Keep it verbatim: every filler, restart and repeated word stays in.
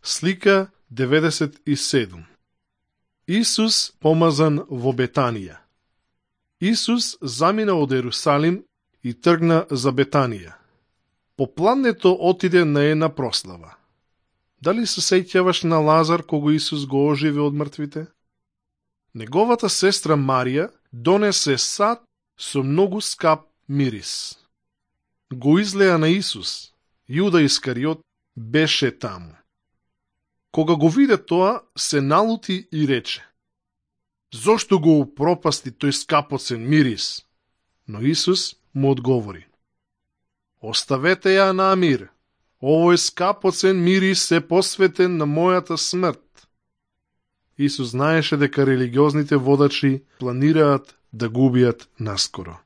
Слика деветдесет и седум. Исус помазан во Бетанија. Исус замина од Ерусалим и тргна за Бетанија. По плането отиде на една прослава. Дали се сеќаваш на Лазар кого Исус го оживе од мртвите? Неговата сестра Марија донесе сад со многу скап мирис. Го излеа на Исус. Јуда Искариот беше таму. Кога го виде тоа, се налути и рече: зошто го упропасти тој скапоцен мирис? Но Исус му одговори: оставете ја на мир. Овој скапоцен мирис е посветен на мојата смрт. Исус знаеше дека религиозните водачи планираат да го убијат наскоро.